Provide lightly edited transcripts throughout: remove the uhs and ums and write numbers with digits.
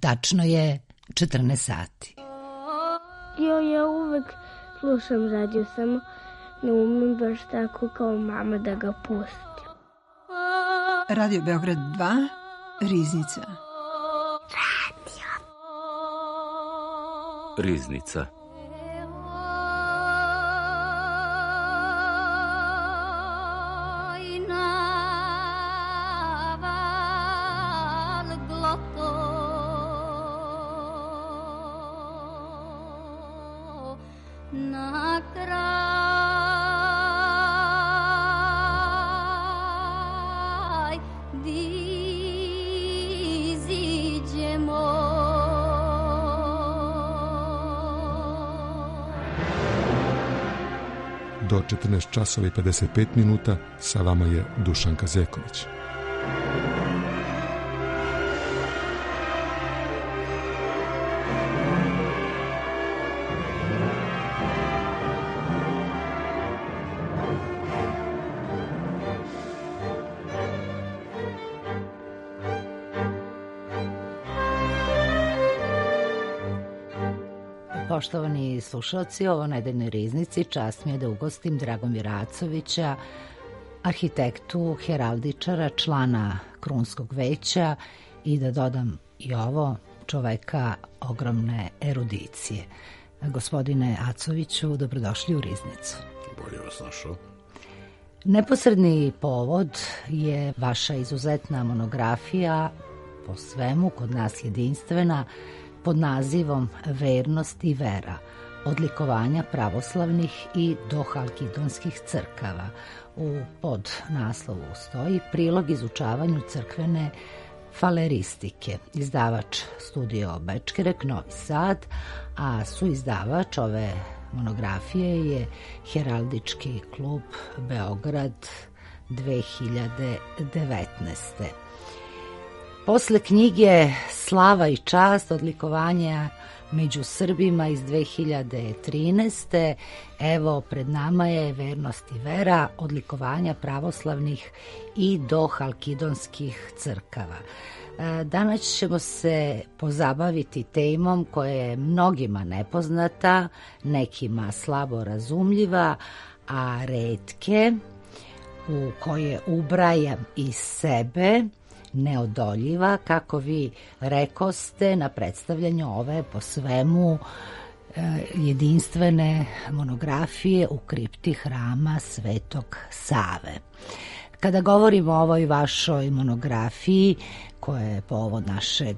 tačno je 14 sati. Ja uvek slušam radio, samo ne umem baš tako kao mama da ga pustim. Radio Beograd 2, Riznica. Riznica. Do 14 časova i 55 minuta sa vama je Dušan Kazeković. Poštovani slušalci, ovo Nedeljnoj riznici čast mi je da ugostim Dragomira Acovića, arhitektu, heraldičara, člana Krunskog veća i da dodam i ovo, čoveka ogromne erudicije. Gospodine Acoviću, dobrodošli u Riznicu. Bolje vas našao. Neposredni povod je vaša izuzetna monografija, po svemu kod nas jedinstvena, pod nazivom Vernost i vera, odlikovanja pravoslavnih i dohalkidonskih crkava. U podnaslovu stoji prilog izučavanju crkvene faleristike. Izdavač Studio Bečkerek, Novi Sad, a suizdavač ove monografije je Heraldički klub Beograd 2019. Posle knjige Slava i čast, odlikovanja među Srbima iz 2013. Evo, pred nama je Vernost i vera, odlikovanja pravoslavnih i dohalkidonskih crkava. Danas ćemo se pozabaviti temom koja je mnogima nepoznata, nekima slabo razumljiva, a retke, u koje ubrajam i sebe, neodoljiva, kako vi rekoste na predstavljanju ove po svemu jedinstvene monografije u kripti hrama Svetog Save. Kada govorimo o ovoj vašoj monografiji, koja je povod našeg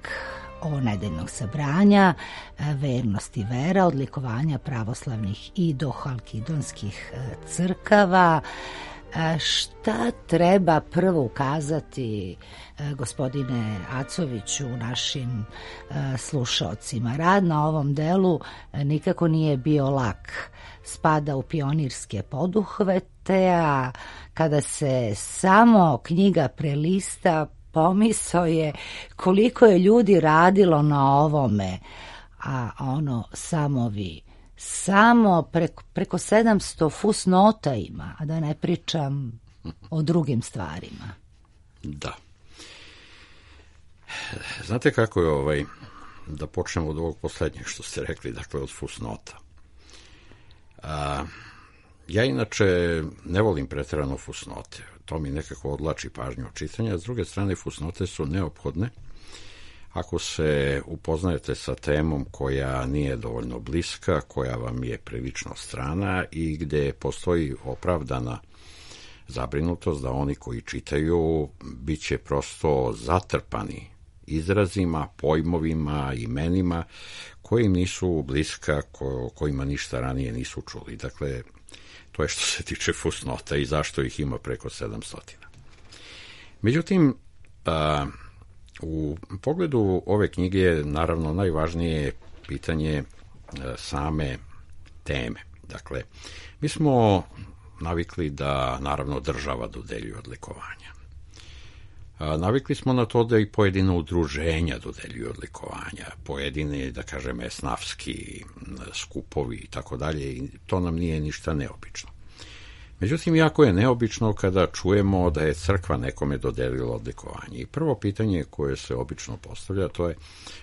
ovonedeljnog sabranja, Vernost i vera, odlikovanja pravoslavnih i dohalkidonskih crkava, šta treba prvo ukazati, gospodine Acoviću, našim slušaocima? Rad na ovom delu nikako nije bio lak. Spada u pionirske poduhvete, a kada se samo knjiga prelista, pomisao je koliko je ljudi radilo na ovome, a ono samo vi. Samo preko 700 fusnota ima, a da ne pričam o drugim stvarima. Da. Znate kako je da počnemo od ovog poslednjeg što ste rekli, dakle od fusnota. Ja inače ne volim preterano fusnote, to mi nekako odlači pažnju od čitanja, s druge strane fusnote su neophodne ako se upoznajete sa temom koja nije dovoljno bliska, koja vam je prilično strana i gde postoji opravdana zabrinutost da oni koji čitaju bit će prosto zatrpani izrazima, pojmovima, imenima koji im nisu bliska, kojima ništa ranije nisu čuli. Dakle, to je što se tiče fusnota i zašto ih ima preko 700. Međutim, u pogledu ove knjige naravno najvažnije je pitanje same teme. Dakle, mi smo navikli da naravno država dodeljuje odlikovanja. Navikli smo na to da i pojedine udruženja dodeljuju odlikovanja, pojedine, da kažem, esnafski skupovi i tako dalje, i to nam nije ništa neobično. Međutim, jako je neobično kada čujemo da je crkva nekome dodelila odlikovanje. I prvo pitanje koje se obično postavlja, to je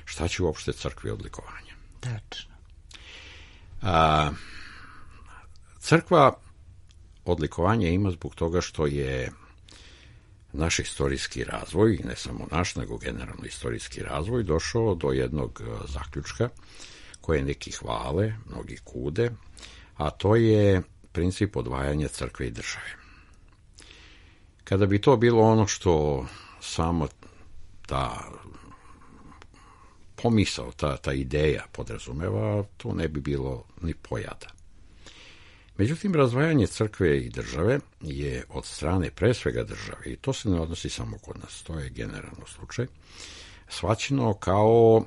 šta će uopšte crkvi odlikovanje? Tačno. Crkva odlikovanje ima zbog toga što je naš istorijski razvoj, ne samo naš, nego generalno istorijski razvoj, došao do jednog zaključka koje neki hvale, mnogi kude, a to je princip odvajanja crkve i države. Kada bi to bilo ono što samo ta pomisao, ta ideja podrazumeva, to ne bi bilo ni pojada. Međutim, razdvajanje crkve i države je od strane pre svega države, i to se ne odnosi samo kod nas, to je generalno slučaj, shvaćeno kao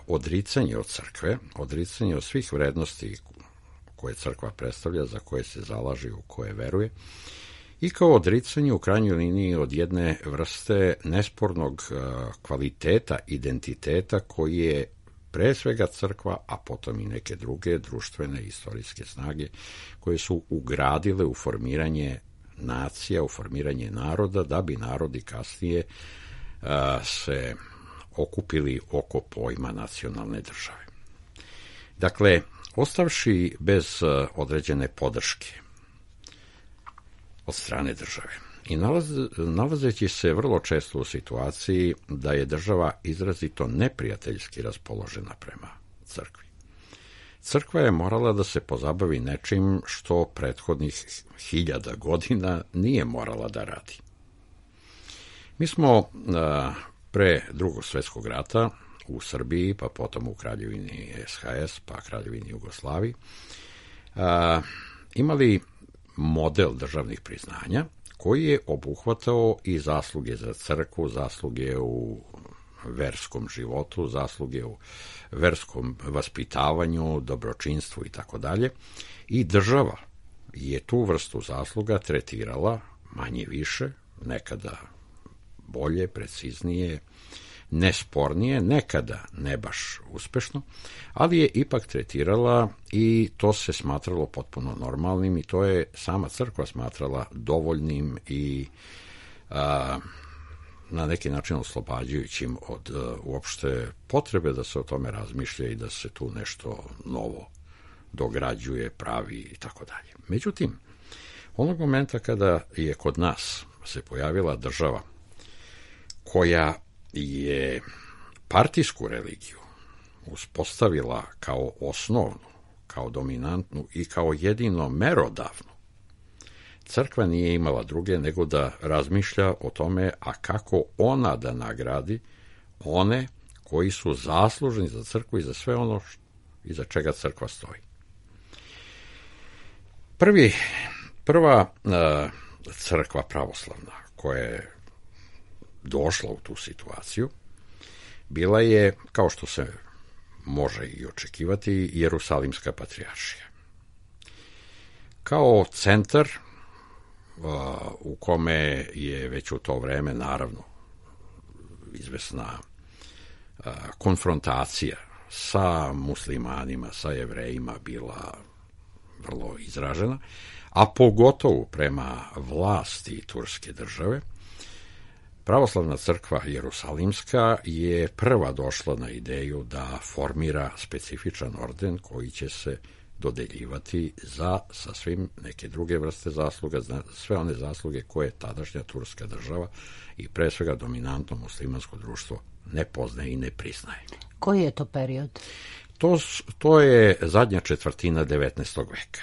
odricanje od crkve, odricanje od svih vrednosti koje crkva predstavlja, za koje se zalaže, u koje veruje, i kao odricanje u krajnjoj liniji od jedne vrste nespornog kvaliteta, identiteta koji je pre svega crkva, a potom i neke druge društvene i istorijske snage koje su ugradile u formiranje nacija, u formiranje naroda, da bi narodi kasnije se okupili oko pojma nacionalne države. Dakle, ostavši bez određene podrške od strane države i nalazeći se vrlo često u situaciji da je država izrazito neprijateljski raspoložena prema crkvi. Crkva je morala da se pozabavi nečim što prethodnih 1000 godina nije morala da radi. Mi smo pre Drugog svjetskog rata u Srbiji, pa potom u Kraljevini SHS, pa Kraljevini Jugoslaviji, imali model državnih priznanja koji je obuhvatao i zasluge za crkvu, zasluge u verskom životu, zasluge u verskom vaspitavanju, dobročinstvu i tako dalje. I država je tu vrstu zasluga tretirala manje više, nekada bolje, preciznije, nespornije, nekada ne baš uspešno, ali je ipak tretirala i to se smatralo potpuno normalnim i to je sama crkva smatrala dovoljnim i na neki način oslobađajućim od uopšte potrebe da se o tome razmišlja i da se tu nešto novo dograđuje, pravi i tako dalje. Međutim, onog momenta kada je kod nas se pojavila država koja je partijsku religiju uspostavila kao osnovnu, kao dominantnu i kao jedino merodavnu, crkva nije imala druge nego da razmišlja o tome, a kako ona da nagradi one koji su zaslužni za crkvu i za sve ono iza čega crkva stoji. Prva crkva pravoslavna koja je došla u tu situaciju bila je, kao što se može i očekivati, Jerusalimska patrijaršija. Kao centar u kome je već u to vreme, naravno, izvesna konfrontacija sa muslimanima, sa Jevrejima bila vrlo izražena, a pogotovo prema vlasti turske države, pravoslavna crkva Jerusalimska je prva došla na ideju da formira specifičan orden koji će se dodeljivati za sasvim neke druge vrste zasluga, sve one zasluge koje tadašnja turska država i pre svega dominantno muslimansko društvo ne poznaje i ne priznaje. Koji je to period? To je zadnja četvrtina 19. veka.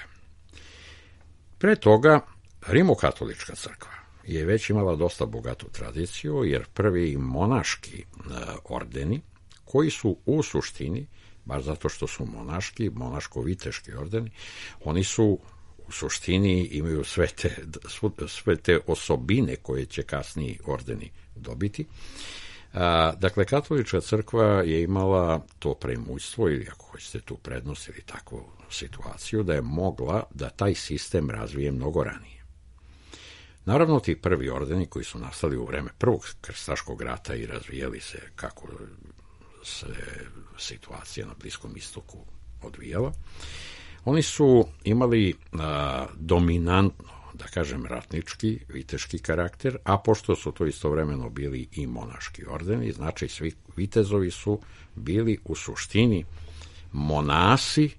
Pre toga Rimokatolička crkva je već imala dosta bogatu tradiciju, jer prvi monaški ordeni, koji su u suštini, baš zato što su monaški, monaško-viteški ordeni, oni su u suštini imaju sve te osobine koje će kasniji ordeni dobiti. Dakle, katolička crkva je imala to premućstvo, ili ako hoćete tu prednost ili takvu situaciju, da je mogla da taj sistem razvije mnogo ranije. Naravno, ti prvi ordeni koji su nastali u vreme Prvog krstaškog rata i razvijali se kako se situacija na Bliskom istoku odvijala, oni su imali da kažem, ratnički, viteški karakter, a pošto su to istovremeno bili i monaški ordeni, znači svi vitezovi su bili u suštini monasi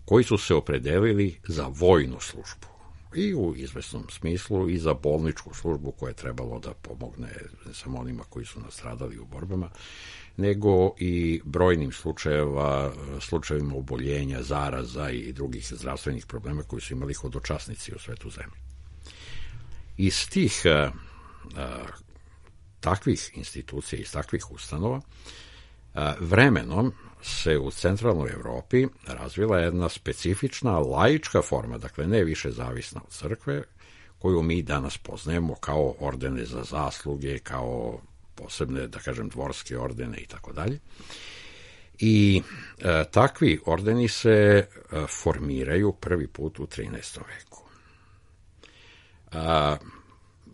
koji su se opredelili za vojnu službu i u izvesnom smislu i za bolničku službu koja je trebalo da pomogne ne samo onima koji su nastradali u borbama, nego i brojnim slučajevima oboljenja, zaraza i drugih zdravstvenih problema koji su imali hodočasnici u svetu zemlje. Iz tih takvih institucija, iz takvih ustanova, vremenom se u centralnoj Evropi razvila jedna specifična laička forma, dakle ne više zavisna od crkve, koju mi danas poznajemo kao ordene za zasluge, kao posebne, da kažem, dvorske ordene i tako dalje. I takvi ordeni se formiraju prvi put u 13. veku.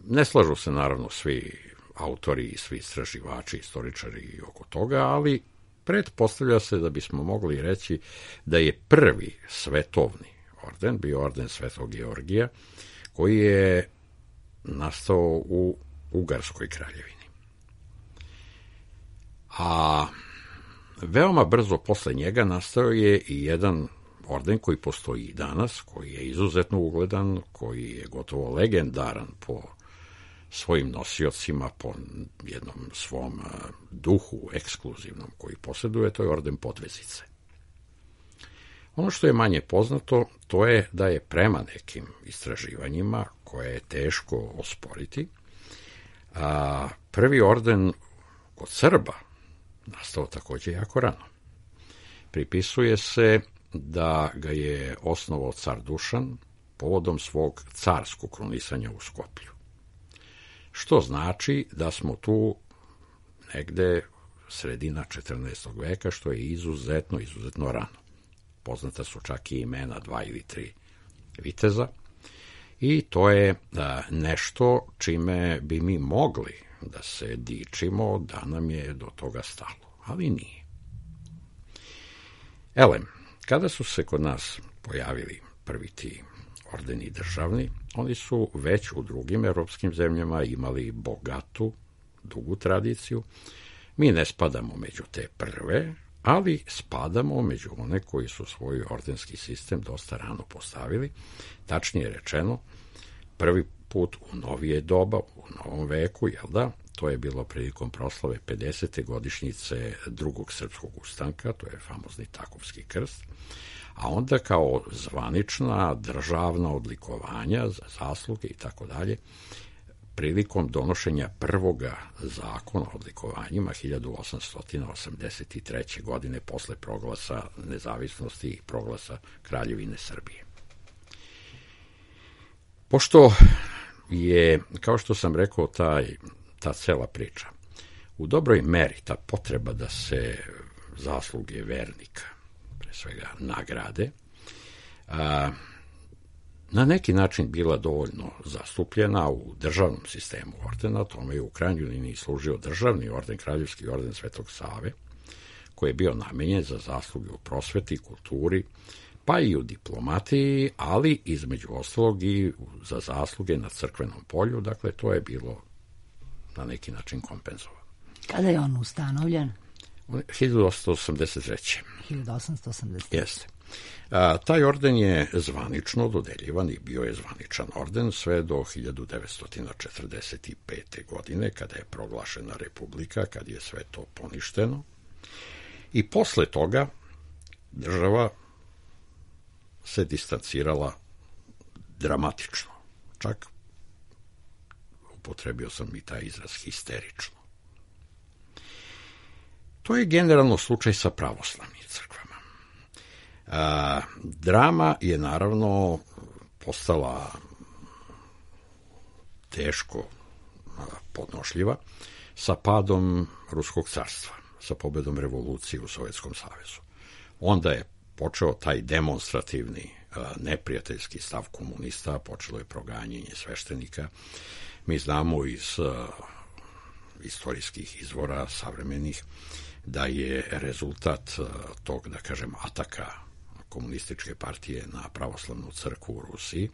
Ne slažu se naravno svi autori i svi istraživači, istoričari oko toga, ali pretpostavlja se da bismo mogli reći da je prvi svetovni orden bio orden Svetog Georgija, koji je nastao u Ugarskoj kraljevini. A veoma brzo posle njega nastao je i jedan orden koji postoji i danas, koji je izuzetno ugledan, koji je gotovo legendaran po svojim nosiocima, po jednom svom duhu ekskluzivnom koji posjeduje, to je orden Podvezice. Ono što je manje poznato, to je da je prema nekim istraživanjima, koje je teško osporiti, prvi orden kod Srba nastao takođe jako rano. Pripisuje se da ga je osnovao car Dušan povodom svog carskog krunisanja u Skoplju. Što znači da smo tu negde sredina 14. veka, što je izuzetno rano. Poznata su čak i imena 2 ili 3 viteza i to je nešto čime bi mi mogli da se dičimo da nam je do toga stalo, ali nije. Elem, kada su se kod nas pojavili prvi ti ordeni državni, oni su već u drugim evropskim zemljama imali bogatu, dugu tradiciju. Mi ne spadamo među te prve, ali spadamo među one koji su svoj ordenski sistem dosta rano postavili. Tačnije rečeno, prvi put u novije doba, u novom veku, jel da? To je bilo prilikom proslave 50. godišnjice drugog srpskog ustanka, to je famozni Takovski krst, a onda kao zvanična državna odlikovanja za zasluge i tako dalje, prilikom donošenja prvoga zakona o odlikovanjima 1883. godine posle proglasa nezavisnosti i proglasa Kraljevine Srbije. Pošto je, kao što sam rekao, ta cela priča u dobroj meri, ta potreba da se zasluge vernika, pre svega nagrade, na neki način bila dovoljno zastupljena u državnom sistemu ordena, tome je u krajnjoj liniji služio državni orden, Kraljevski orden Svetog Save, koji je bio namenjen za zasluge u prosveti, kulturi, pa i u diplomatiji, ali između ostalog i za zasluge na crkvenom polju, dakle to je bilo na neki način kompenzovano. Kada je on ustanovljen? 1883. 1883. Jeste. Taj orden je zvanično dodeljivan i bio je zvaničan orden sve do 1945. godine, kada je proglašena republika, kad je sve to poništeno. I posle toga država se distancirala dramatično. Čak upotrebio sam i taj izraz histerično. To je generalno slučaj sa pravoslavnim crkvama. Drama je naravno postala teško podnošljiva sa padom Ruskog carstva, sa pobedom revolucije u Sovjetskom savezu. Onda je počeo taj demonstrativni neprijateljski stav komunista, počelo je proganjanje sveštenika. Mi znamo iz istorijskih izvora savremenih da je rezultat tog, da kažem, ataka komunističke partije na pravoslavnu crkvu u Rusiji,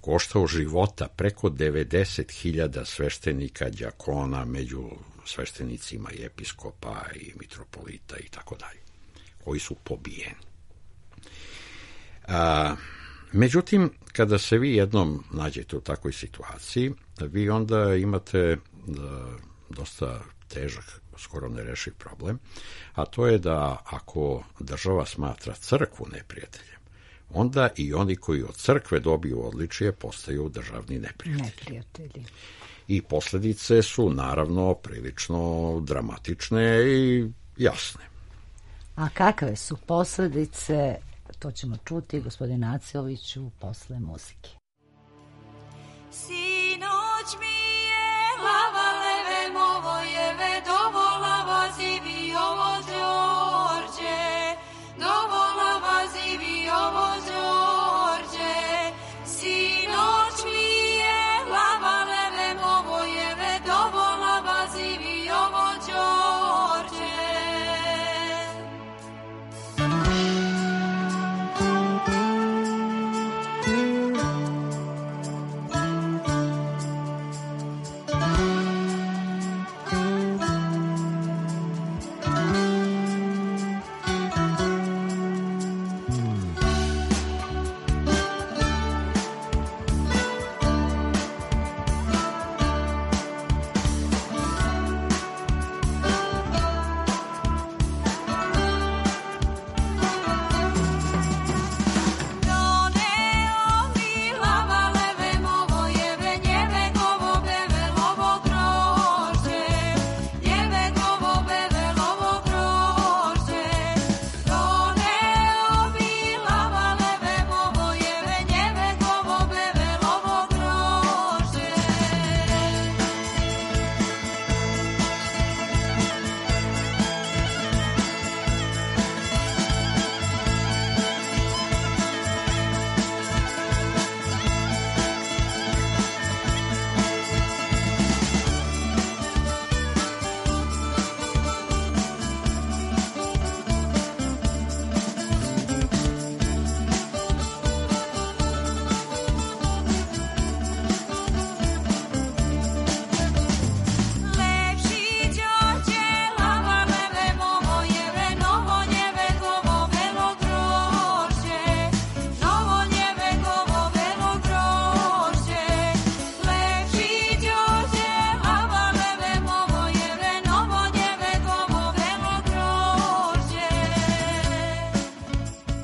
koštao života preko 90.000 sveštenika, đakona, među sveštenicima i episkopa i mitropolita i tako dalje, koji su pobijeni. Međutim, kada se vi jednom nađete u takvoj situaciji, vi onda imate dosta težak, skoro nerešiv problem, a to je da ako država smatra crkvu neprijateljem, onda i oni koji od crkve dobiju odličje postaju državni neprijatelji. I posljedice su naravno prilično dramatične i jasne. A kakve su posljedice, to ćemo čuti gospodin Acoviću posle muzike. Sinoć mi je lava leve movojeve dovola vazivi ovo Đorđe, dovola vazivi ovo Đorđe. Sinoć mi je lava leve movojeve dovola vazivi ovo Đorđe.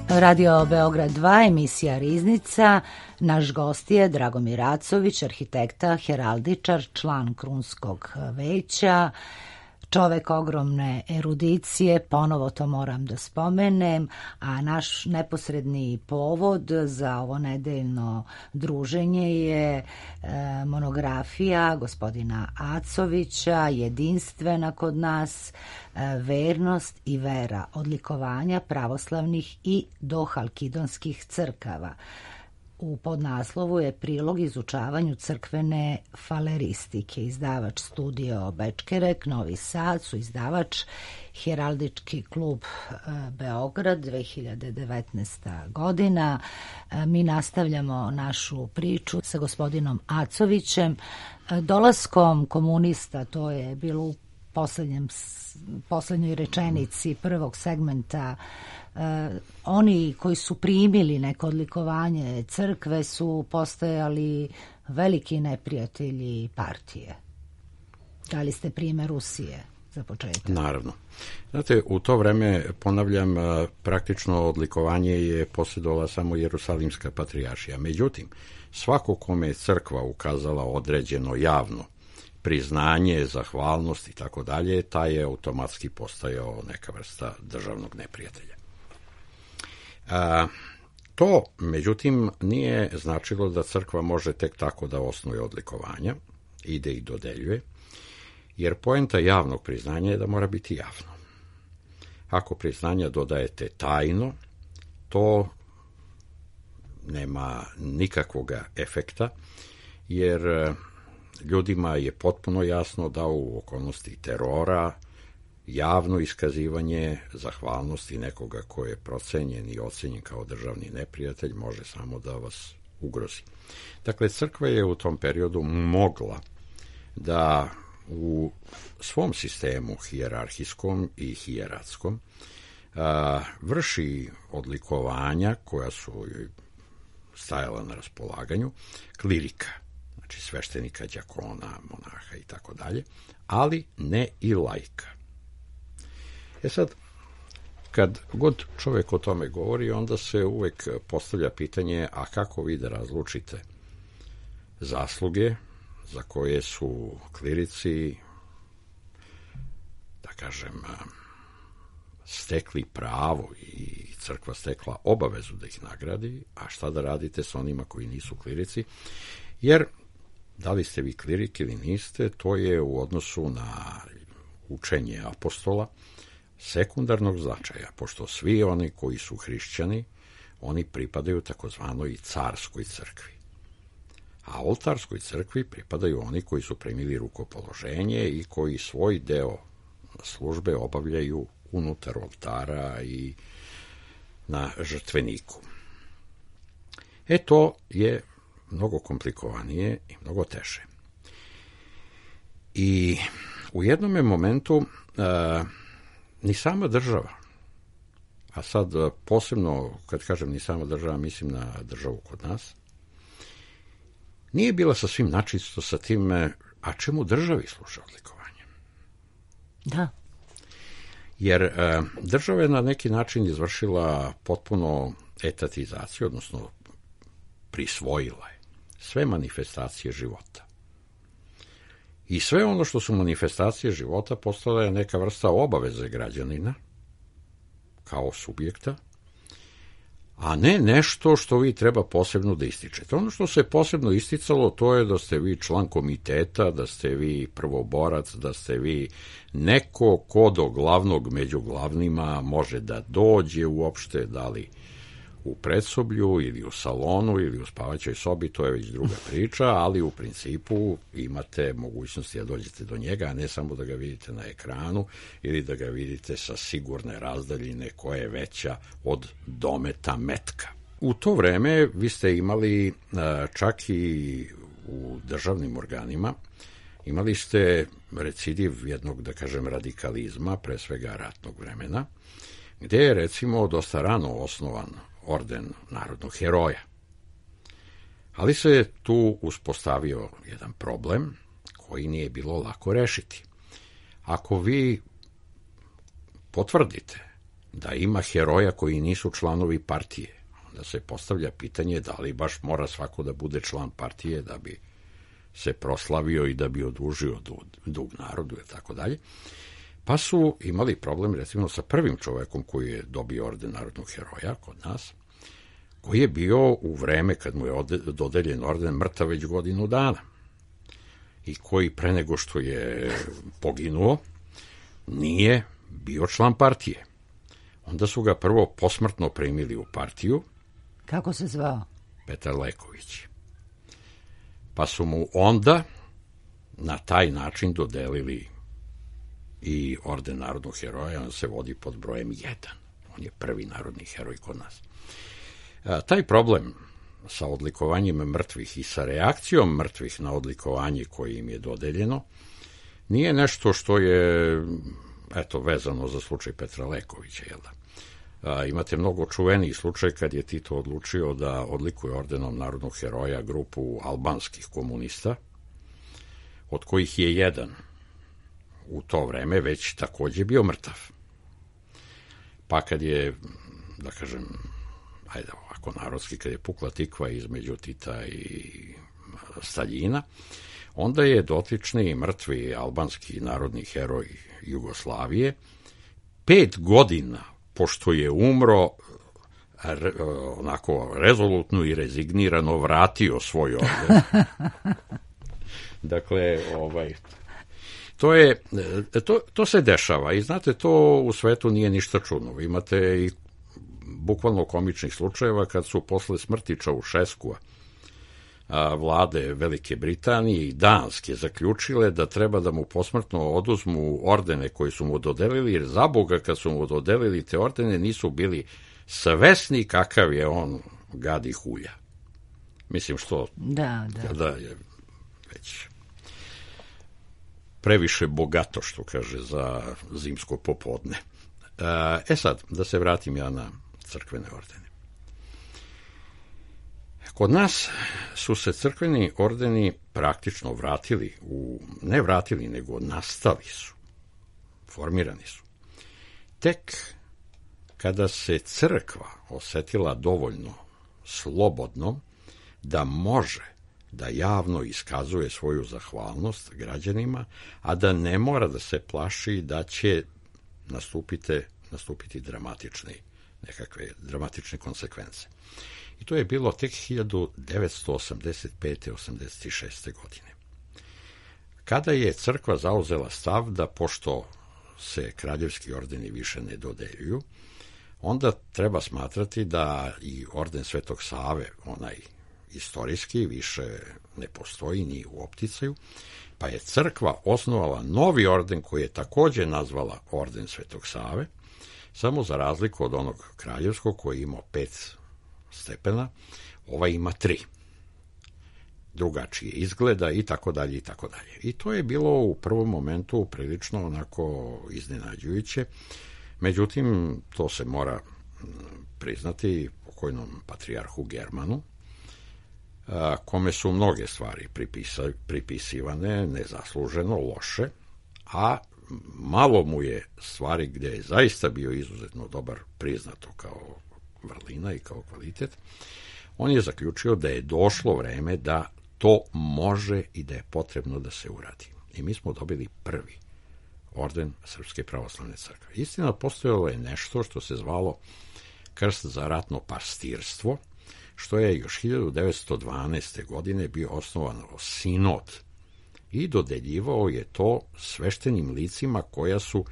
Radio Beograd 2, emisija Riznica. Naš gost je Dragomir Acović, arhitekta, heraldičar, član Krunskog veća, čovek ogromne erudicije, ponovo to moram da spomenem, a naš neposredni povod za ovo nedeljno druženje je monografija gospodina Acovića, jedinstvena kod nas, vernost i vera, odlikovanja pravoslavnih i dohalkidonskih crkava. U podnaslovu je prilog izučavanju crkvene faleristike. Izdavač Studio Bečkerek, Novi Sad, su izdavač Heraldički klub Beograd, 2019. godina. Mi nastavljamo našu priču sa gospodinom Acovićem. Dolaskom komunista, to je bilo u poslednjoj rečenici prvog segmenta, oni koji su primili neko odlikovanje crkve su postajali veliki neprijatelji partije. Dali ste primjer Rusije za početak. Naravno. Znate, u to vreme, ponavljam, praktično odlikovanje je posjedovala samo Jerusalimska patrijaršija. Međutim, svako kome je crkva ukazala određeno javno priznanje, zahvalnost i tako dalje, taj je automatski postajao neka vrsta državnog neprijatelja. To, međutim, nije značilo da crkva može tek tako da osnuje odlikovanja, ide i dodeljuje, jer poenta javnog priznanja je da mora biti javno. Ako priznanja dodajete tajno, to nema nikakvog efekta, jer ljudima je potpuno jasno da u okolnosti terora javno iskazivanje zahvalnosti nekoga ko je procenjen i ocenjen kao državni neprijatelj može samo da vas ugrozi. Dakle, crkva je u tom periodu mogla da u svom sistemu hijerarhijskom i hijeratskom vrši odlikovanja koja su stajala na raspolaganju klirika, znači sveštenika, đakona, monaha i tako dalje, ali ne i laika. Sad, kad god čovjek o tome govori, onda se uvek postavlja pitanje, a kako vi da razlučite zasluge za koje su klirici, da kažem, stekli pravo i crkva stekla obavezu da ih nagradi, a šta da radite sa onima koji nisu klirici, jer da li ste vi klirik ili niste, to je u odnosu na učenje apostola sekundarnog značaja, pošto svi oni koji su hrišćani, oni pripadaju takozvanoj carskoj crkvi. A oltarskoj crkvi pripadaju oni koji su primili rukopoloženje i koji svoj deo službe obavljaju unutar oltara i na žrtveniku. To je mnogo komplikovanije i mnogo teže. I u jednom momentu ni sama država, a sad posebno kad kažem ni sama država, mislim na državu kod nas, nije bila sasvim načisto sa tim, a čemu državi služe odlikovanje. Da. Jer država je na neki način izvršila potpuno etatizaciju, odnosno prisvojila je sve manifestacije života. I sve ono što su manifestacije života postala je neka vrsta obaveze građanina kao subjekta, a ne nešto što vi treba posebno da ističete. Ono što se posebno isticalo, to je da ste vi član komiteta, da ste vi prvoborac, da ste vi neko ko do glavnog među glavnima može da dođe uopšte, da li u predsoblju ili u salonu ili u spavaćoj sobi, to je već druga priča, ali u principu imate mogućnosti da dođete do njega, a ne samo da ga vidite na ekranu ili da ga vidite sa sigurne razdaljine koja je veća od dometa metka. U to vreme vi ste imali čak i u državnim organima, imali ste recidiv jednog, da kažem, radikalizma, pre svega ratnog vremena, gde je recimo dosta rano osnovan orden narodnog heroja. Ali se tu uspostavio jedan problem koji nije bilo lako rešiti. Ako vi potvrdite da ima heroja koji nisu članovi partije, onda se postavlja pitanje da li baš mora svako da bude član partije da bi se proslavio i da bi odužio dug narodu i tako dalje. Pa su imali problem recimo sa prvim čovekom koji je dobio orden narodnog heroja kod nas, koji je bio u vreme kad mu je dodeljen orden mrtav već godinu dana i koji pre nego što je poginuo nije bio član partije. Onda su ga prvo posmrtno primili u partiju. Kako se zvao? Petar Leković. Pa su mu onda na taj način dodelili i orden narodnog heroja, on se vodi pod brojem 1. On je prvi narodni heroj kod nas. Taj problem sa odlikovanjem mrtvih i sa reakcijom mrtvih na odlikovanje koje im je dodeljeno nije nešto što je vezano za slučaj Petra Lekovića. Imate mnogo čuveniji slučaj kad je Tito odlučio da odlikuje ordenom narodnog heroja grupu albanskih komunista, od kojih je jedan u to vreme već takođe bio mrtav. Pa kad je, da kažem, ovako narodski, kad je pukla tikva između Tita i Staljina, onda je dotični mrtvi albanski narodni heroj Jugoslavije 5 godina pošto je umro onako rezolutno i rezignirano vratio svoj orden. Dakle, to se dešava i znate, to u svetu nije ništa čudno. Vi imate i bukvalno komičnih slučajeva kad su posle smrti Čaušeskua vlade Velike Britanije i Danske zaključile da treba da mu posmrtno oduzmu ordene koji su mu dodelili, jer za Boga kad su mu dodelili te ordene nisu bili svesni kakav je on gadi hulja. Mislim što Da. kada je već previše bogato, što kaže, za zimsko popodne. Sad, da se vratim ja na crkvene ordene. Kod nas su se crkveni ordeni praktično ne vratili, nego nastali su, formirani su. Tek kada se crkva osetila dovoljno slobodno da može da javno iskazuje svoju zahvalnost građanima, a da ne mora da se plaši da će nastupiti dramatične konsekvence. I to je bilo tek 1985-86. godine. Kada je crkva zauzela stav da, pošto se kraljevski ordeni više ne dodeljuju, onda treba smatrati da i orden Svetog Save, onaj istorijski, više ne postoji ni u opticaju, pa je crkva osnovala novi orden koji je takođe nazvala orden Svetog Save, samo za razliku od onog kraljevskog koji ima 5 stepena, ovaj ima 3. Drugačije izgleda i tako dalje i tako dalje. I to je bilo u prvom momentu prilično onako iznenađujuće. Međutim, to se mora priznati pokojnom patrijarhu Germanu, kome su mnoge stvari pripisivane nezasluženo, loše, a malo mu je stvari gde je zaista bio izuzetno dobar priznato kao vrlina i kao kvalitet. On je zaključio da je došlo vreme da to može i da je potrebno da se uradi. I mi smo dobili prvi orden Srpske pravoslavne crkve. Istina, postojalo je nešto što se zvalo krst za ratno pastirstvo, što je još 1912. godine bio osnovan sinod i dodeljivao je to sveštenim licima koja su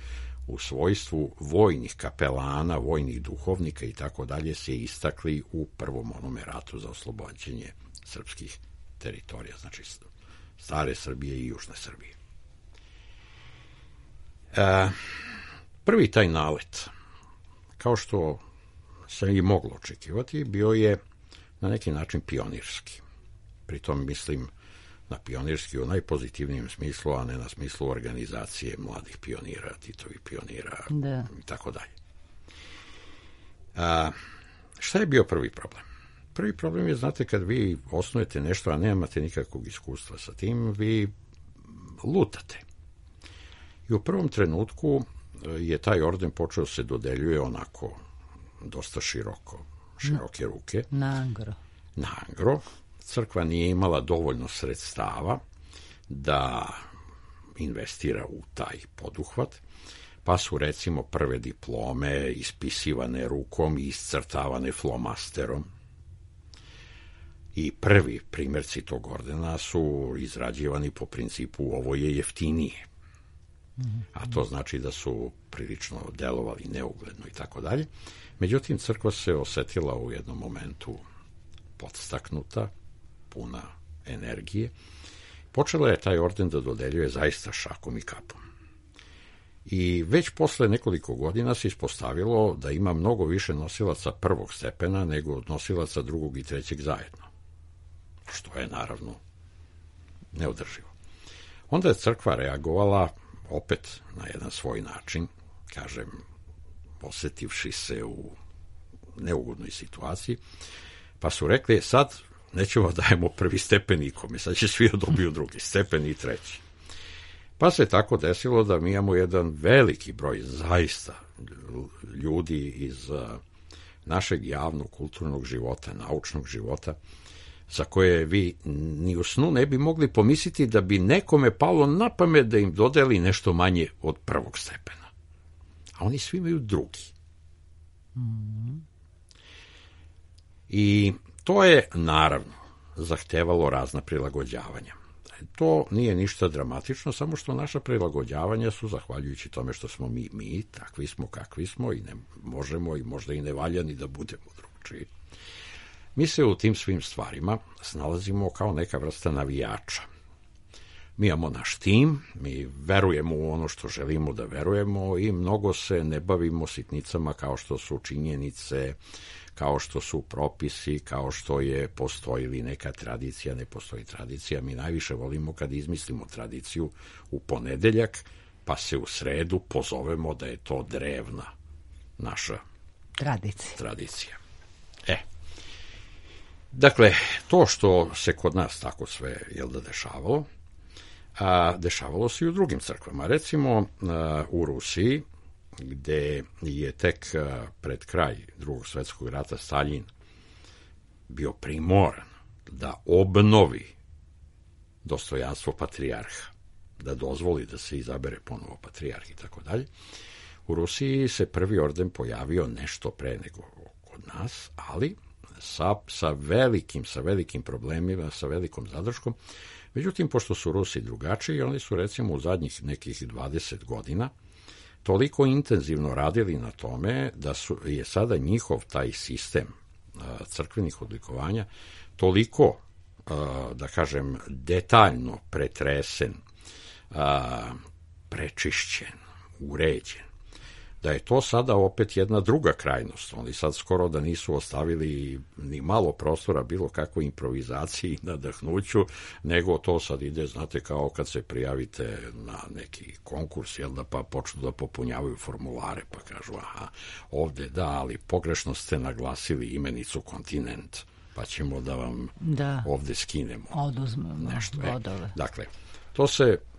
u svojstvu vojnih kapelana, vojnih duhovnika i tako dalje se istakli u prvom onome ratu za oslobođenje srpskih teritorija, znači stare Srbije i južne Srbije. Prvi taj nalet, kao što se i moglo očekivati, bio je na neki način pionirski. Pritom mislim na pionirski u najpozitivnijem smislu, a ne na smislu organizacije mladih pionira, Titovih pionira i tako dalje. Šta je bio prvi problem? Prvi problem je, znate, kad vi osnujete nešto, a nemate nikakvog iskustva sa tim, vi lutate. I u prvom trenutku je taj orden počeo se dodeljuje onako dosta široke ruke. Nagro. Crkva nije imala dovoljno sredstava da investira u taj poduhvat, pa su recimo prve diplome ispisivane rukom i iscrtavane flomasterom. I prvi primjerci tog ordena su izrađivani po principu ovo je jeftinije. A to znači da su prilično delovali neugledno i tako dalje. Međutim, crkva se osetila u jednom momentu podstaknuta, puna energije. Počela je taj orden da dodeljuje zaista šakom i kapom. I već posle nekoliko godina se ispostavilo da ima mnogo više nosilaca prvog stepena nego nosilaca drugog i trećeg zajedno. Što je naravno neodrživo. Onda je crkva reagovala opet na jedan svoj način, kažem, osetivši se u neugodnoj situaciji, pa su rekli, sad nećemo dajemo prvi stepen nikome, sad će svi dobiju drugi stepen i treći. Pa se tako desilo da mi imamo jedan veliki broj zaista ljudi iz našeg javnog kulturnog života, naučnog života, za koje vi ni u snu ne bi mogli pomisliti da bi nekome palo na pamet da im dodeli nešto manje od prvog stepena. A oni svi imaju drugi. I to je, naravno, zahtevalo razna prilagođavanja. To nije ništa dramatično, samo što naša prilagođavanja su, zahvaljujući tome što smo mi takvi smo kakvi smo i ne možemo i možda i ne valja ni da budemo drugčiji. Mi se u tim svim stvarima snalazimo kao neka vrsta navijača. Mi imamo naš tim, mi verujemo u ono što želimo da verujemo i mnogo se ne bavimo sitnicama kao što su činjenice, kao što su propisi, kao što postoji li neka tradicija, ne postoji tradicija. Mi najviše volimo kad izmislimo tradiciju u ponedeljak, pa se u sredu pozovemo da je to drevna naša tradicija. Dakle, to što se kod nas tako sve dešavalo, a dešavalo se i u drugim crkvama. Recimo u Rusiji, gde je tek pred kraj Drugog svjetskog rata Staljin bio primoran da obnovi dostojanstvo patrijarha, da dozvoli da se izabere ponovo patrijarh i tako dalje. U Rusiji se prvi orden pojavio nešto pre nego kod nas, ali sa velikim problemima, sa velikom zadrškom. Međutim, pošto su Rusi drugačiji, oni su recimo u zadnjih nekih 20 godina toliko intenzivno radili na tome da je sada njihov taj sistem crkvenih odlikovanja toliko, da kažem, detaljno pretresen, prečišćen, uređen, da je to sada opet jedna druga krajnost. Oni sad skoro da nisu ostavili ni malo prostora bilo kakvoj improvizaciji, nadahnuću, nego to sad ide, znate, kao kad se prijavite na neki konkurs, pa počnu da popunjavaju formulare, pa kažu, aha, ovde da, ali pogrešno ste naglasili imenicu kontinent, pa ćemo da vam ovde skinemo. Oduzmemo nešto. Bodove. Dakle,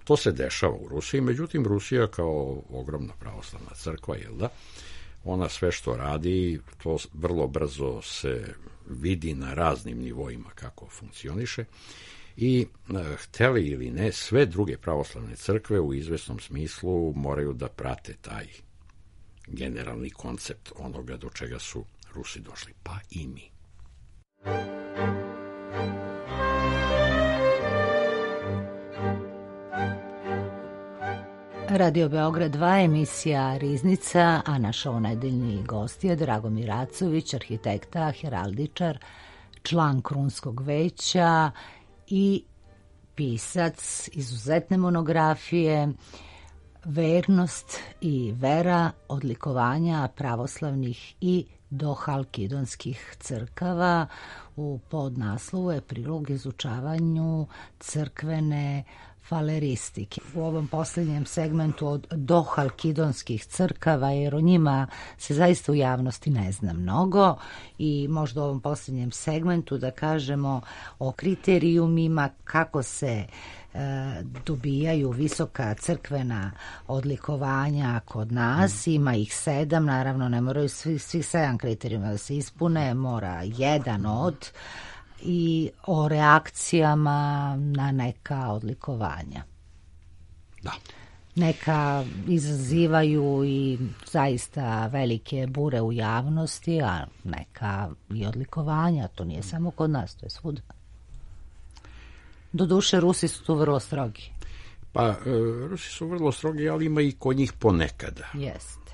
to se dešava u Rusiji, međutim Rusija kao ogromna pravoslavna crkva, ona sve što radi, to vrlo brzo se vidi na raznim nivoima kako funkcioniše i hteli ili ne, sve druge pravoslavne crkve u izvesnom smislu moraju da prate taj generalni koncept onoga do čega su Rusi došli, pa i mi. Radio Beograd 2, emisija Riznica, a naš ovonedeljni gost je Dragomir Racović, arhitekta, heraldičar, član Krunskog veća i pisac izuzetne monografije Vernost i vera, odlikovanja pravoslavnih i dohalkidonskih crkava. U podnaslovu je prilog izučavanju crkvene faleristike. U ovom posljednjem segmentu od dohalkidonskih crkava, jer o njima se zaista u javnosti ne zna mnogo, i možda u ovom posljednjem segmentu da kažemo o kriterijumima kako se dobijaju visoka crkvena odlikovanja kod nas. Ima ih 7, naravno ne moraju svih 7 kriterijuma da se ispune, mora jedan od, i o reakcijama na neka odlikovanja. Da. Neka izazivaju i zaista velike bure u javnosti, a neka i odlikovanja, to nije samo kod nas, to je svuda. Doduše, Rusi su tu vrlo strogi. Pa, Rusi su vrlo strogi, ali ima i kod njih ponekada. Jeste.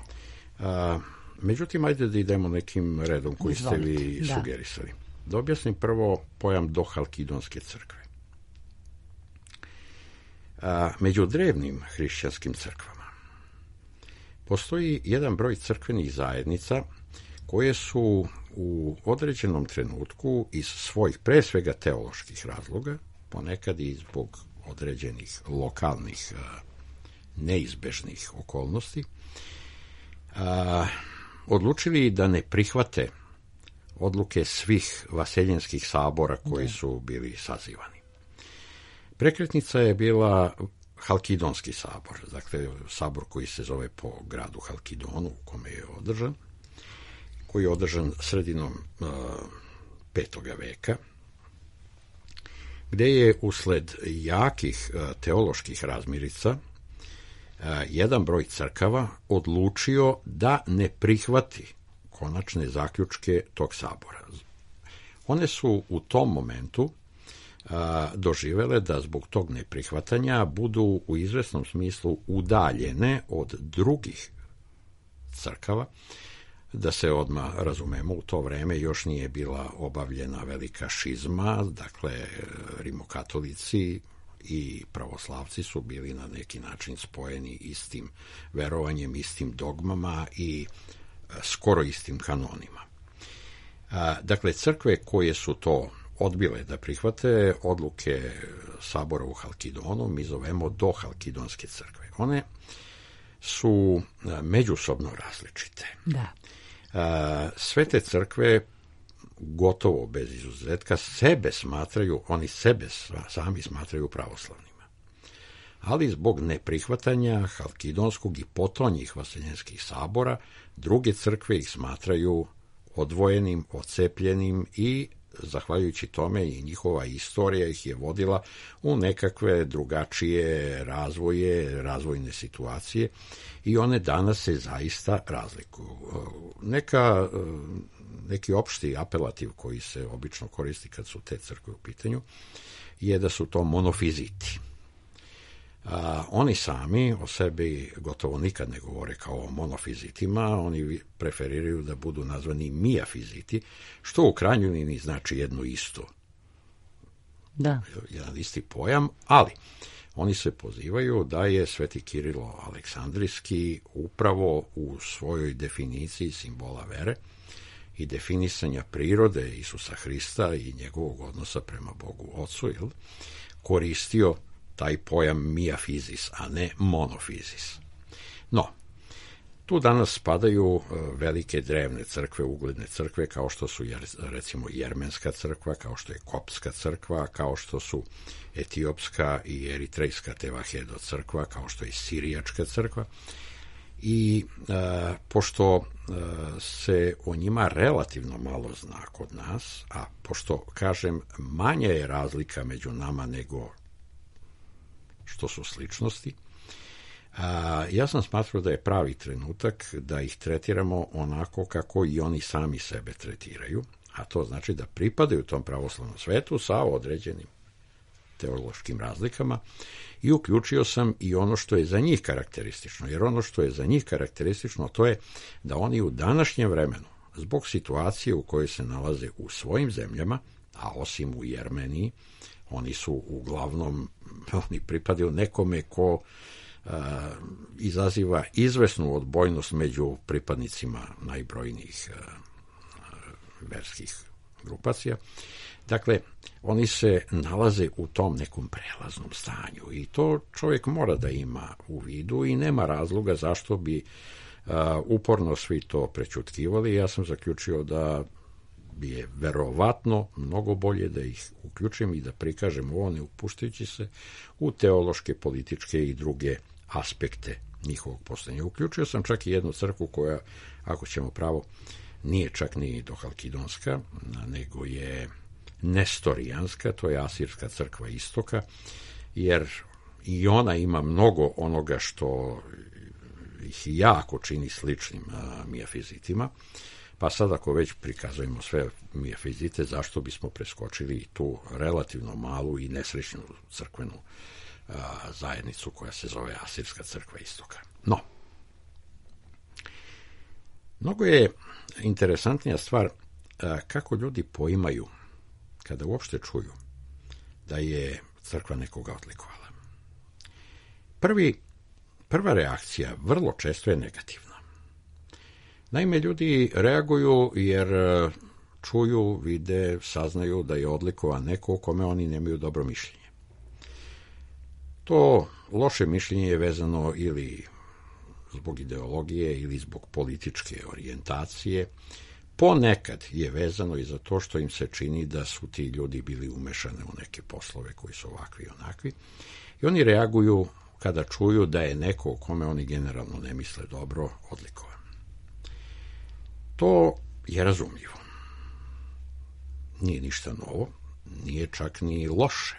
Međutim, ajde da idemo nekim redom koji ste vi sugerisali. Da objasnim prvo pojam dohalkidonske crkve. Među drevnim hrišćanskim crkvama postoji jedan broj crkvenih zajednica koje su u određenom trenutku iz svojih, pre svega teoloških razloga, ponekad i zbog određenih lokalnih neizbežnih okolnosti, odlučili da ne prihvate odluke svih vaseljenskih sabora koji su bili sazivani. Prekretnica je bila Halkidonski sabor, dakle sabor koji se zove po gradu Halkidonu u kome je održan, koji je održan sredinom 5. veka, gde je usled jakih teoloških razmirica jedan broj crkava odlučio da ne prihvati konačne zaključke tog sabora. One su u tom momentu doživele da zbog tog neprihvatanja budu u izvesnom smislu udaljene od drugih crkava. Da se odmah razumemo, u to vreme još nije bila obavljena velika šizma, dakle rimokatolici i pravoslavci su bili na neki način spojeni istim verovanjem, istim dogmama i skoro istim kanonima. Dakle, crkve koje su to odbile da prihvate odluke sabora u Halkidonu, mi zovemo dohalkidonske crkve. One su međusobno različite. Da. Sve te crkve gotovo bez izuzetka oni sebe sami smatraju pravoslavnima. Ali zbog neprihvatanja halkidonskog i potonjih vaseljenskih sabora, druge crkve ih smatraju odvojenim, odcepljenim i zahvaljujući tome i njihova istorija ih je vodila u nekakve drugačije razvojne situacije i one danas se zaista razlikuju. Neki opšti apelativ koji se obično koristi kad su te crkve u pitanju je da su to monofiziti. Oni sami o sebi gotovo nikad ne govore kao o monofizitima, oni preferiraju da budu nazvani mijafiziti, što u krajnjoj liniji znači jedno isto. Da. Jedan isti pojam, ali oni se pozivaju da je Sveti Kirilo Aleksandrijski upravo u svojoj definiciji simbola vere i definisanja prirode Isusa Hrista i njegovog odnosa prema Bogu Ocu, koristio taj pojam mijafizis, a ne monofizis. No, tu danas spadaju velike drevne crkve, ugledne crkve, kao što su recimo Jermenska crkva, kao što je Koptska crkva, kao što su Etiopska i Eritrejska Tevahedo crkva, kao što je Sirijačka crkva. I pošto se o njima relativno malo zna kod nas, a pošto, kažem, manja je razlika među nama nego što su sličnosti, ja sam smatrao da je pravi trenutak da ih tretiramo onako kako i oni sami sebe tretiraju, a to znači da pripadaju tom pravoslavnom svetu sa određenim teološkim razlikama i uključio sam i ono što je za njih karakteristično, jer ono što je za njih karakteristično to je da oni u današnjem vremenu, zbog situacije u kojoj se nalaze u svojim zemljama, a osim u Jermeniji, oni su uglavnom, oni pripadaju nekome ko izaziva izvesnu odbojnost među pripadnicima najbrojnijih verskih grupacija. Dakle, oni se nalaze u tom nekom prelaznom stanju i to čovjek mora da ima u vidu i nema razloga zašto bi uporno svi to prećutkivali. Ja sam zaključio da bi je verovatno mnogo bolje da ih uključim i da prikažem ovo, ne upuštajući se u teološke, političke i druge aspekte njihovog postojanja. Uključio sam čak i jednu crkvu koja, ako ćemo pravo, nije čak ni dohalkidonska, nego je nestorijanska, to je Asirska crkva istoka, jer i ona ima mnogo onoga što ih jako čini sličnim mijafizitima, pa sad ako već prikazujemo sve mijafizite, zašto bismo preskočili i tu relativno malu i nesrećnu crkvenu zajednicu koja se zove Asirska crkva istoka. No, mnogo je interesantnija stvar kako ljudi poimaju kada uopšte čuju da je crkva nekoga odlikovala. Prva reakcija vrlo često je negativna. Naime, ljudi reaguju jer čuju, vide, saznaju da je odlikovan neko o kome oni nemaju dobro mišljenje. To loše mišljenje je vezano ili zbog ideologije ili zbog političke orijentacije. Ponekad je vezano i za to što im se čini da su ti ljudi bili umešani u neke poslove koji su ovakvi i onakvi. I oni reaguju kada čuju da je neko o kome oni generalno ne misle dobro odlikovan. To je razumljivo. Nije ništa novo, nije čak ni loše.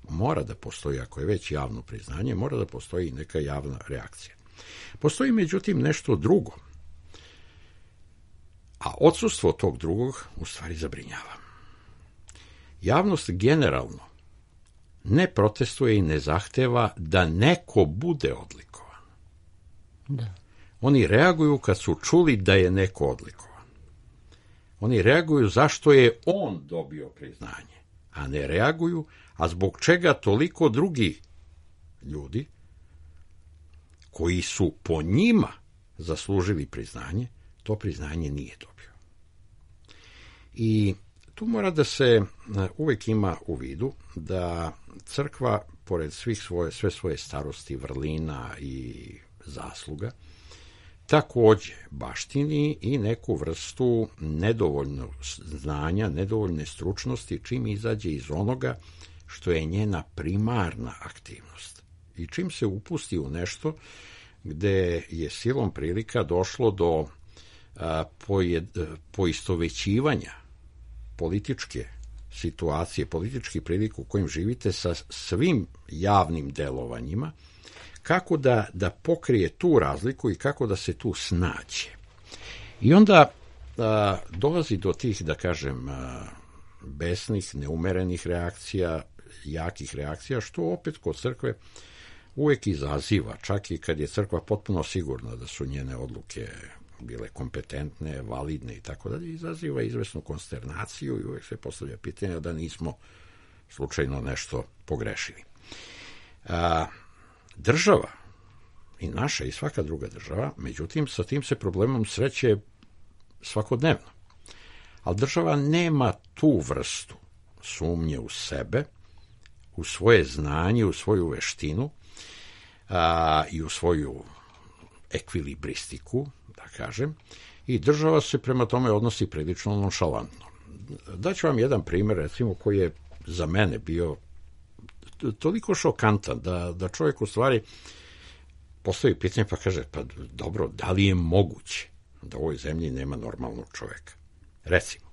Mora da postoji, ako je već javno priznanje, mora da postoji neka javna reakcija. Postoji međutim nešto drugo, a odsustvo tog drugog u stvari zabrinjava. Javnost generalno ne protestuje i ne zahteva da neko bude odlikovan. Da. Oni reaguju kad su čuli da je neko odlikovan. Oni reaguju zašto je on dobio priznanje, a ne reaguju a zbog čega toliko drugi ljudi koji su po njima zaslužili priznanje, to priznanje nije dobio. I tu mora da se uvek ima u vidu da crkva, pored sve svoje starosti, vrlina i zasluga, takođe baštini i neku vrstu nedovoljnog znanja, nedovoljne stručnosti, čim izađe iz onoga što je njena primarna aktivnost. I čim se upusti u nešto gde je silom prilika došlo do poistovećivanja političke situacije, politički prilika u kojim živite sa svim javnim delovanjima, kako da pokrije tu razliku i kako da se tu snađe. I onda dolazi do tih, da kažem, besnih, neumerenih reakcija, jakih reakcija, što opet kod crkve uvek izaziva, čak i kad je crkva potpuno sigurna da su njene odluke bile kompetentne, validne i tako dalje, izaziva izvesnu konsternaciju i uvek se postavlja pitanje da nismo slučajno nešto pogrešili. Država, i naša i svaka druga država, međutim, sa tim se problemom sreće svakodnevno. Ali država nema tu vrstu sumnje u sebe, u svoje znanje, u svoju veštinu i u svoju ekvilibristiku, da kažem, i država se prema tome odnosi prilično nonšalantno. Daću vam jedan primer, recimo, koji je za mene bio toliko šokantan da čovjek u stvari postavi pitanje pa kaže, pa dobro, da li je moguće da u ovoj zemlji nema normalnog čovjeka? Recimo,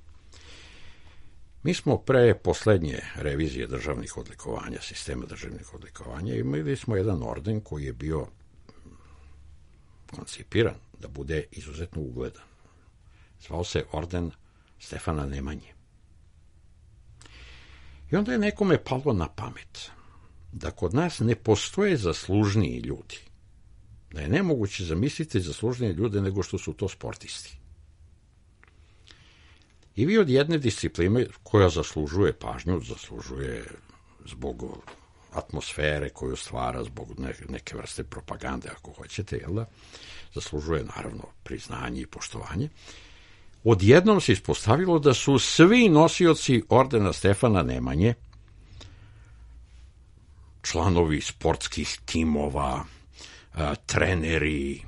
mi smo pre poslednje revizije državnih odlikovanja, sistema državnih odlikovanja, imali smo jedan orden koji je bio koncipiran da bude izuzetno ugledan. Zvao se orden Stefana Nemanje. I onda je nekome palo na pamet da kod nas ne postoje zaslužniji ljudi. Da je nemoguće zamisliti zaslužnije ljude nego što su to sportisti. I vi od jedne discipline koja zaslužuje pažnju, zaslužuje zbog atmosfere koju stvara, zbog neke vrste propagande, ako hoćete, jel da, zaslužuje naravno priznanje i poštovanje, odjednom se ispostavilo da su svi nosioci ordena Stefana Nemanje članovi sportskih timova, treneri,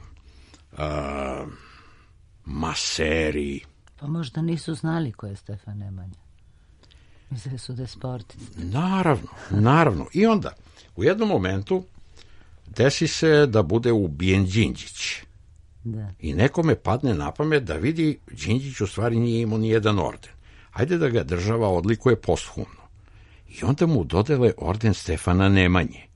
maseri. Pa možda nisu znali ko je Stefan Nemanja. Mislili su da je sportist. Naravno. I onda, u jednom momentu desi se da bude ubijen Đinđić. Da. I nekome padne na pamet da vidi Đinđić u stvari nije imao ni jedan orden. Ajde da ga država odlikuje posthumno. I onda mu dodele orden Stefana Nemanje.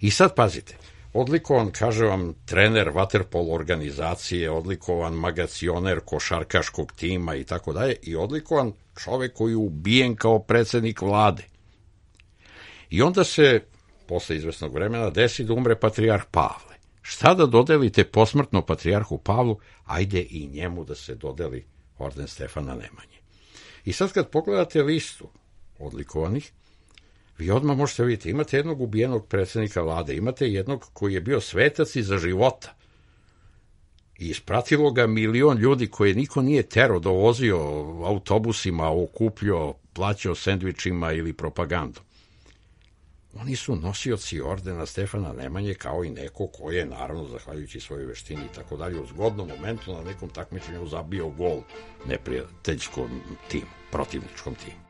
I sad pazite, odlikovan, kaže vam, trener vaterpolo organizacije, odlikovan magacioner košarkaškog tima i tako dalje, i odlikovan čovek koji je ubijen kao predsednik vlade. I onda se, posle izvesnog vremena, desi da umre patrijarh Pavle. Šta da dodelite posmrtno patrijarhu Pavlu? Ajde i njemu da se dodeli orden Stefana Nemanje. I sad kad pogledate listu odlikovanih, vi odmah možete vidjeti, imate jednog ubijenog predsjednika vlade, imate jednog koji je bio svetac iza života. I ispratilo ga 1.000.000 ljudi koje niko nije terao, dovozio autobusima, okupljao, plaćao sendvičima ili propagandom. Oni su nosioci ordena Stefana Nemanje, kao i neko ko je, naravno, zahvaljujući svojoj veštini i tako dalje, u zgodnom momentu na nekom takmičenju zabio gol neprijateljskom timu, protivničkom timu.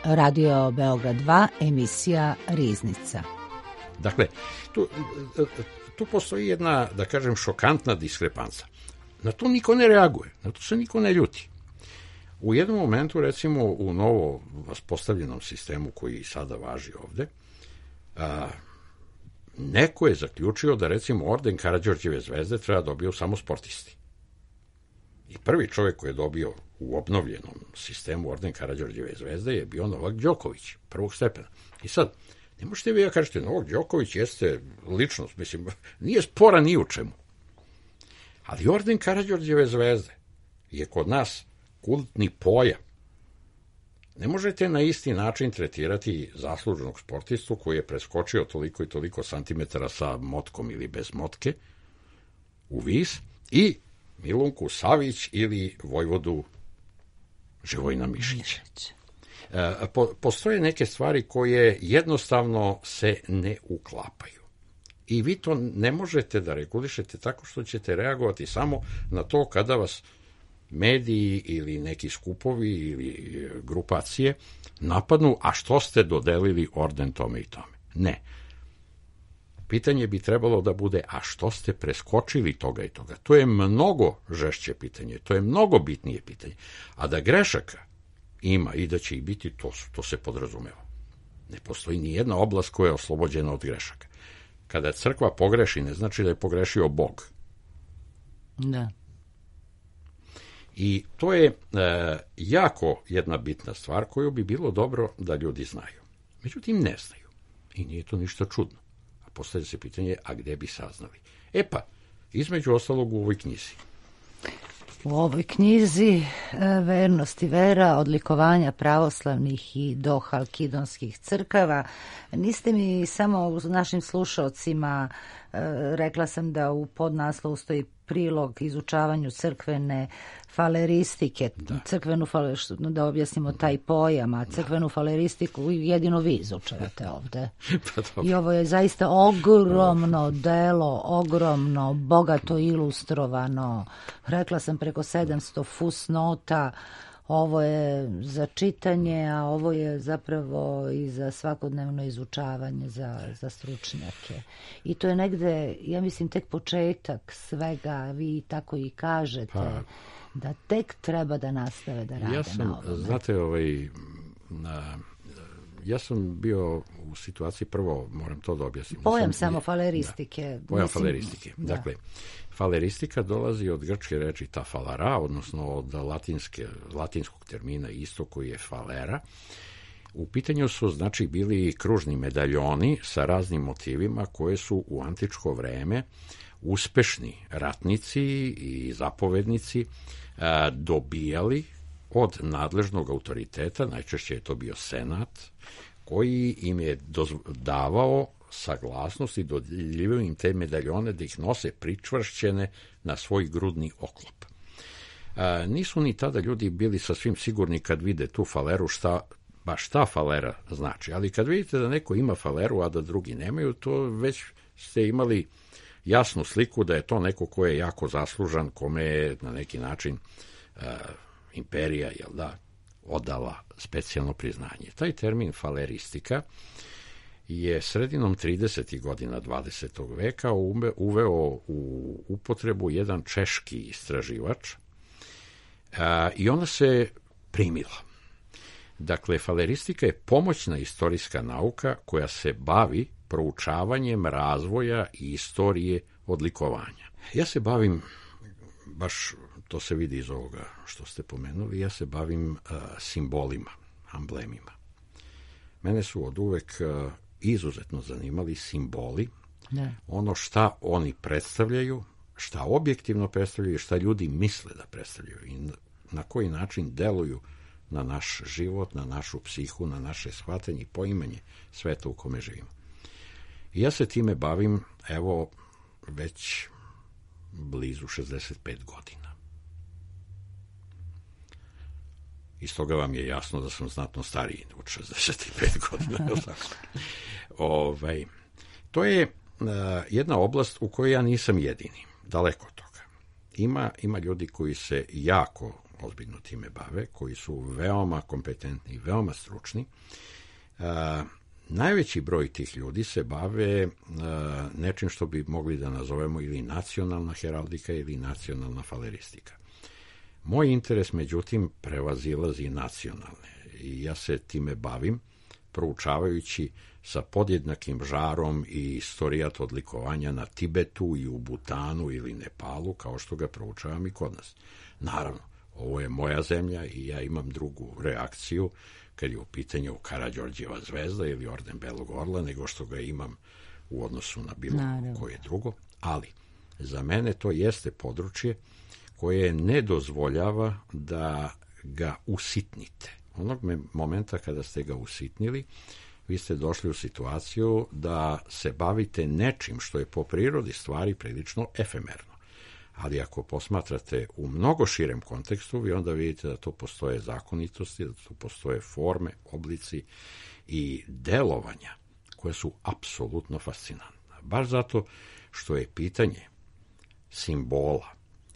Radio Beograd 2, emisija Riznica. Dakle, tu postoji jedna, da kažem, šokantna diskrepanca. Na to niko ne reaguje, na to se niko ne ljuti. U jednom momentu, recimo, u novo postavljenom sistemu koji sada važi ovde, neko je zaključio da, recimo, orden Karađorđeve zvezde treba dobiju samo sportisti. I prvi čovjek koji je dobio u obnovljenom sistemu orden Karađorđeve zvezde je bio Novak Đoković, prvog stepena. I sad, ne možete vi da kažete, Novak Đoković jeste ličnost, mislim, nije spora ni u čemu. Ali orden Karađorđeve zvezde je kod nas kultni pojam. Ne možete na isti način tretirati zasluženog sportistu koji je preskočio toliko i toliko santimetara sa motkom ili bez motke u vis i Milunku Savić ili Vojvodu Živojina Mišića. Postoje neke stvari koje jednostavno se ne uklapaju. I vi to ne možete da regulišete tako što ćete reagovati samo na to kada vas mediji ili neki skupovi ili grupacije napadnu, a što ste dodelili orden tome i tome. Ne. Pitanje bi trebalo da bude, a što ste preskočili toga i toga. To je mnogo žešće pitanje, to je mnogo bitnije pitanje. A da grešaka ima i da će ih biti, to se podrazumeva. Ne postoji ni jedna oblast koja je oslobođena od grešaka. Kada crkva pogreši, ne znači da je pogrešio Bog. Da. I to je jako jedna bitna stvar koju bi bilo dobro da ljudi znaju. Međutim, ne znaju. I nije to ništa čudno. A postavlja se pitanje, a gde bi saznali? E pa, između ostalog u ovoj knjizi. U ovoj knjizi Vernost i vera, odlikovanja pravoslavnih i dohalkidonskih crkava. Niste mi samo našim slušalcima, rekla sam da u podnaslovu stoji prilog izučavanju crkvene faleristike, da objasnimo taj pojam, a crkvenu faleristiku jedino vi izučavate ovde. I ovo je zaista ogromno delo, ogromno, bogato ilustrovano. Rekla sam preko 700 fusnota. Ovo je za čitanje, a ovo je zapravo i za svakodnevno izučavanje za stručnjake. I to je negde, ja mislim, tek početak svega, vi tako i kažete, da tek treba da nastave da rade na ovome. Znate, ja sam bio u situaciji, prvo moram to da objasnim. Pojam samo faleristike. Da, pojam faleristike. Da. Dakle, faleristika dolazi od grčke reči ta falara, odnosno od latinskog termina isto koji je falera. U pitanju su, znači, bili kružni medaljoni sa raznim motivima koje su u antičko vreme uspešni ratnici i zapovednici dobijali od nadležnog autoriteta, najčešće je to bio senat, koji im je davao saglasnost i dodjeljivao im te medaljone da ih nose pričvršćene na svoj grudni oklop. Nisu ni tada ljudi bili sasvim sigurni kad vide tu faleru šta falera znači, ali kad vidite da neko ima faleru, a da drugi nemaju, to već ste imali jasnu sliku da je to neko ko je jako zaslužan, kome je na neki način imperija, odala specijalno priznanje. Taj termin faleristika je sredinom 30. godina 20. veka uveo u upotrebu jedan češki istraživač i ona se primila. Dakle, faleristika je pomoćna istorijska nauka koja se bavi proučavanjem razvoja i istorije odlikovanja. Ja se bavim, baš to se vidi iz ovoga što ste pomenuli, ja se bavim simbolima, amblemima. Mene su od uvek izuzetno zanimali simboli, ono šta oni predstavljaju, šta objektivno predstavljaju, šta ljudi misle da predstavljaju i na koji način deluju na naš život, na našu psihu, na naše shvatanje i poimanje sveta u kome živimo. I ja se time bavim, evo, već blizu 65 godina. Iz toga vam je jasno da sam znatno stariji od 65 godina. To je jedna oblast u kojoj ja nisam jedini, daleko od toga. Ima ljudi koji se jako ozbiljno time bave, koji su veoma kompetentni, veoma stručni. Najveći broj tih ljudi se bave nečim što bi mogli da nazovemo ili nacionalna heraldika ili nacionalna faleristika. Moj interes, međutim, prevazilazi nacionalne i ja se time bavim proučavajući sa podjednakim žarom i istorijat odlikovanja na Tibetu i u Butanu ili Nepalu, kao što ga proučavam i kod nas. Naravno, ovo je moja zemlja i ja imam drugu reakciju kad je u pitanju Karađorđeva zvezda ili orden Belog orla, nego što ga imam u odnosu na bilo koje drugo. Ali Za mene to jeste područje koje ne dozvoljava da ga usitnite. Onog momenta kada ste ga usitnili, vi ste došli u situaciju da se bavite nečim što je po prirodi stvari prilično efemerno. Ali ako posmatrate u mnogo širem kontekstu, vi onda vidite da tu postoje zakonitosti, da tu postoje forme, oblici i delovanja koje su apsolutno fascinantne. Baš zato što je pitanje simbola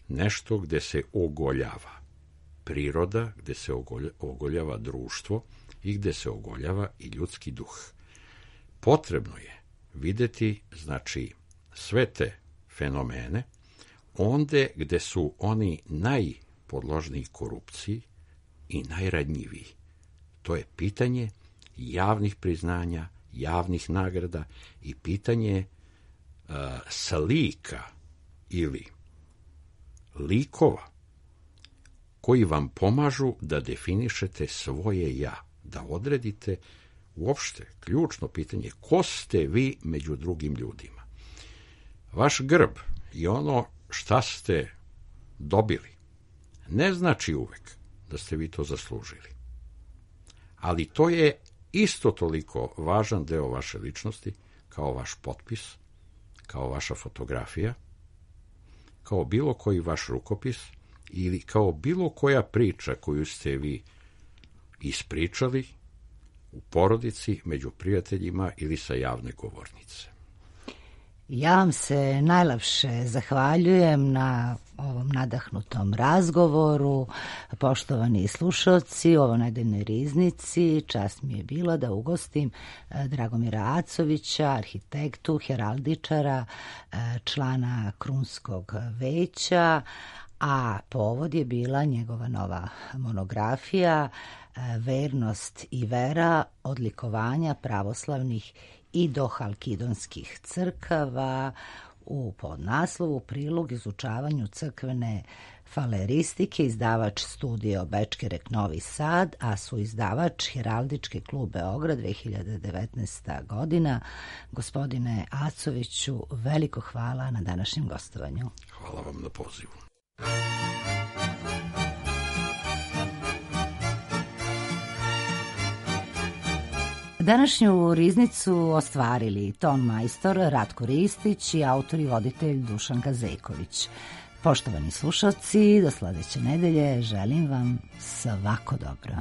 nešto gde se ogoljava priroda, gde se ogoljava društvo i gde se ogoljava i ljudski duh. Potrebno je videti, znači, sve te fenomene onde gde su oni najpodložniji korupciji i najranjiviji. To je pitanje javnih priznanja, javnih nagrada i pitanje slika ili likova koji vam pomažu da definišete svoje ja, da odredite uopšte ključno pitanje ko ste vi među drugim ljudima. Vaš grb i ono šta ste dobili ne znači uvek da ste vi to zaslužili. Ali to je isto toliko važan deo vaše ličnosti kao vaš potpis, kao vaša fotografija, kao bilo koji vaš rukopis ili kao bilo koja priča koju ste vi ispričali u porodici, među prijateljima ili sa javne govornice. Ja vam se najlepše zahvaljujem na ovom nadahnutom razgovoru. Poštovani slušalci, u ovoj nedeljnoj riznici čast mi je bila da ugostim Dragomira Acovića, arhitektu, heraldičara, člana Krunskog veća, a povod je bila njegova nova monografija Vernost i vera, odlikovanja pravoslavnih i dohalkidonskih crkava, u podnaslovu prilog izučavanju crkvene faleristike, izdavač Studio Bečkerek Novi Sad, a su izdavač Heraldički klub Beograd 2019. godina. Gospodine Acoviću, veliko hvala na današnjem gostovanju. Hvala vam na pozivu. Današnju riznicu ostvarili ton majstor Ratko Ristić i autor i voditelj Dušanka Zejković. Poštovani slušalci, do sledeće nedelje želim vam svako dobro.